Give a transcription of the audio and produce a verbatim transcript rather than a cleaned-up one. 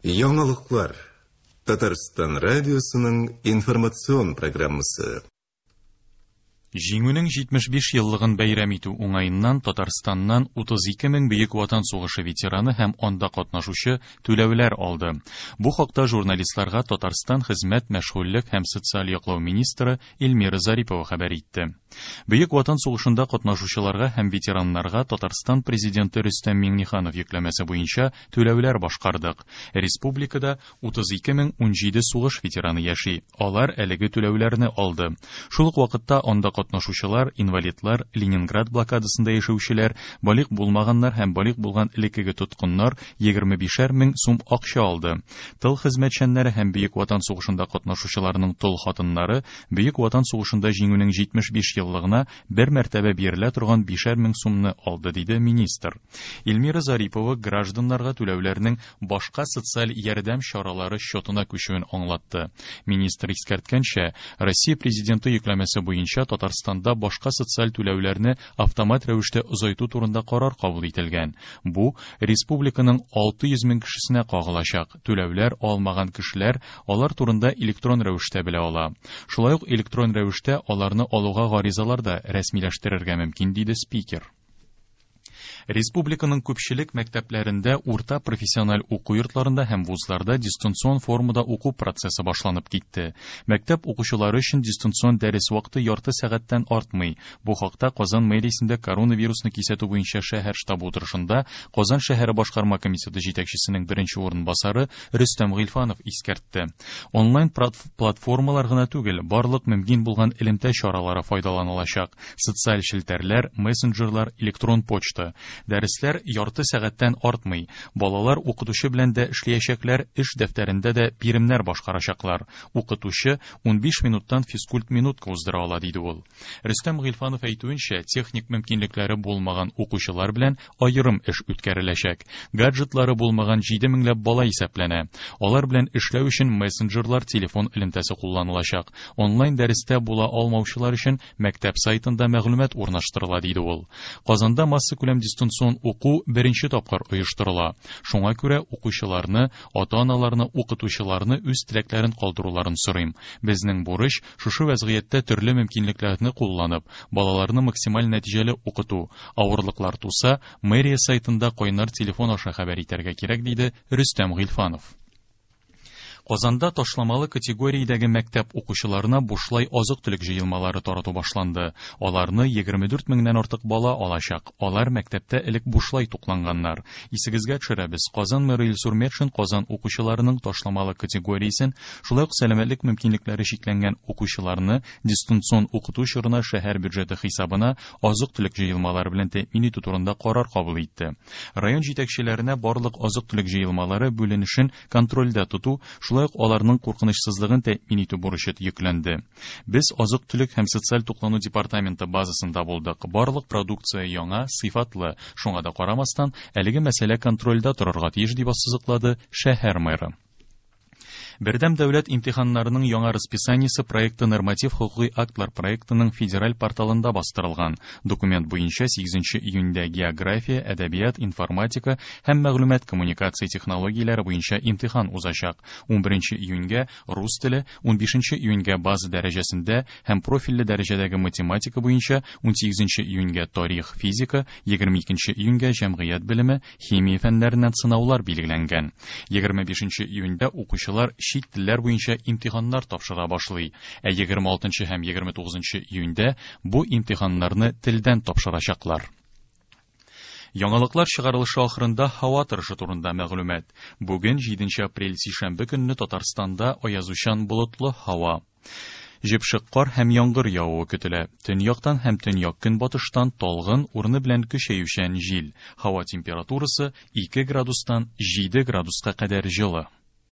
Яңалыклар. Татарстан радиосының информацион программасы. Җиңүнең җитмеш биш еллыгын бәйрәм итү уңаеннан Татарстаннан утыз ике мең Бөек Ватан сугышы ветераны һәм анда катнашучы түләүләр алды. Бу хакта журналистларга Татарстан хезмәт, мәшгульлек һәм социаль яклау министры Эльмира Зарипова хәбәр итте. Бөек Ватан сугышында катнашучыларга һәм ветераннарга Татарстан президенты Рөстәм Миңнеханов йөкләмәсе буенча түләүләр башкардык. Республикада утыз ике мең унҗиде сугыш ветераны яши. Алар әлеге түләүләрне алды. Шул ук вакытта анда катнашучылар, инвалидлар, Ленинград блокадасында яшәүчеләр, балигъ булмаганнар һәм балигъ булган элеккеге тоткыннар егерме бишәр мең сум акча алды. Тыл хезмәтчәннәре һәм Бөек Ватан сугышында катнашучыларның тол хатыннары Бөек Ватан сугышында җиңүнең җитмеш биш еллыгына бер мәртәбә бирелә торган бишәр мең сумны алды, диде министр. Эльмира Зарипова гражданнарга түләүләрнең башка социаль ярдәм чаралары счетына күчүен аңлатты. Министр искәрткәнчә, Россия президенты йөкләмәсе буенча Татарстанда башка социаль түләүләрне автомат рәвештә озайту турында карар кабул ителгән. Бу республиканың алты йөз мең кешесенә кагылачак. Түләүләр алмаган кешеләр алар турында электрон рәвештә белә ала. Шулай ук электрон рәвештә аларны алуга гаризалар да рәсмиләштерергә мөмкин, диде спикер. Республиканың күпчелек мәктәпләрендә, урта профессиональ уку йортларында һәм вузларда дистанцион формада уку процессы башланып китте. Мәктәп укучылары өчен дистанцион дәрес вакыты ярты сәгатьтән артмый. Бу хакта Казан мэриясендә коронавирусны кисәтү буенча шәһәр штабы утырышында Казан шәһәре башкарма комитеты җитәкчесенең беренче урынбасары Рөстәм Гыйльфанов искәртте. Онлайн платформалар гына түгел, барлык мөмкин булган элемтә чаралары файдаланылачак. Социаль челтәрләр, мессенджерлар, электрон почта. Дәресләр ярты сәгатьтән артмый. Балалар укытучы белән дә эшләячәкләр, эш дәфтәрендә дә биремнәр башкарачаклар. Укытучы унбиш минуттан физкульт минутка уздыра ала, диде ул. Рөстәм Гыйльфанов әйтүенчә, техник мөмкинлекләре булмаган укучылар белән аерым эш үткәреләчәк. Гаджетлары булмаган җиде меңләп бала исәпләнә. Алар белән эшләү өчен мессенджерлар, телефон элемтәсе кулланылачак. Онлайн дәрестә була алмаучылар өчен мәктәп сайтында мәгълүмат урнаштырыла, диде ул. Казанда массакүләм дистанцион уку беренче тапкыр оештырыла. Шуңа күрә укучыларны, ата-аналарны, укытучыларны үз теләкләрен калдыруларын сорыйм. Безнең бурыч шушы вәзгыятьтә төрле мөмкинлекләрне кулланып, балаларны максималь нәтиҗәле укыту. Авырлыклар туса, мэрия сайтында кайнар телефон аша хәбәр итәргә кирәк, диде Рөстәм Гыйльфанов. Казанда ташламалы категориядәге мәктәп укучыларына бушлай азык-төлек җыелмалары тарату башланды. Аларны егерме дүрт меңнән артык бала алачак. Алар мәктәптә элек бушлай тукланганнар. Исегезгә төшерәбез, Казан мэры Илсур Метшин Казан укучыларының ташламалы категориясен, шулай ук сәламәтлек мөмкинлекләре чикләнгән укучыларны дистанцион укыту чорына шәһәр бюджеты хисабына азык-төлек җыелмалары белән тәэмин итү турында карар кабул итте. Район җитәкчеләренә барлык азык-төлек җыелмалары бүленешен контрольдә тоту, шулай ук аларның куркынычсызлыгын тәэмин итү бурычы йөкләнде. Без азык-төлек һәм социаль туклану департаменты базасында булдык. Барлык продукция яңа, сыйфатлы. Шуңа да карамастан, әлеге мәсьәлә контрольдә торырга тиеш, дип ассызыклады шәһәр мэры. Бердәм дәүләт имтиханнарының яңа расписаниесе проекты норматив хокукый актлар проектының федераль порталында бастырылган. Документ буенча сигезенче июньдә география, әдәбият, информатика һәм мәгълүмат коммуникация технологияләре буенча имтихан узачак. Унберенче июньгә рус теле, унбишенче июньгә база дәрәҗәсендә һәм профильле дәрәҗәдәге математика буенча, унсигезенче июньгә тарих, физика, егерме икенче июньгә җәмгыять белеме, химия фәннәреннән сынаулар билгеләнгән. Егерме бишенче июньдә укучылар чит телләр буенча имтиханнар тапшыра башлый. Ә егерме алтынчы һәм егерме тугызынчы июньдә бу имтиханнарны телдән тапшырачаклар. Яңалыклар чыгарылышы ахырында һава торышы турында мәгълүмат. Бүген җиденче апрель сишәмбе көнне Татарстанда аязучан болытлы һава. Җепшек кар һәм яңгыр явуы көтелә. Төньяктан һәм төньяк көнбатыштан талгын, урыны белән көчәючән җил. Һава температурасы ике градустан җиде градуска кадәр җылы.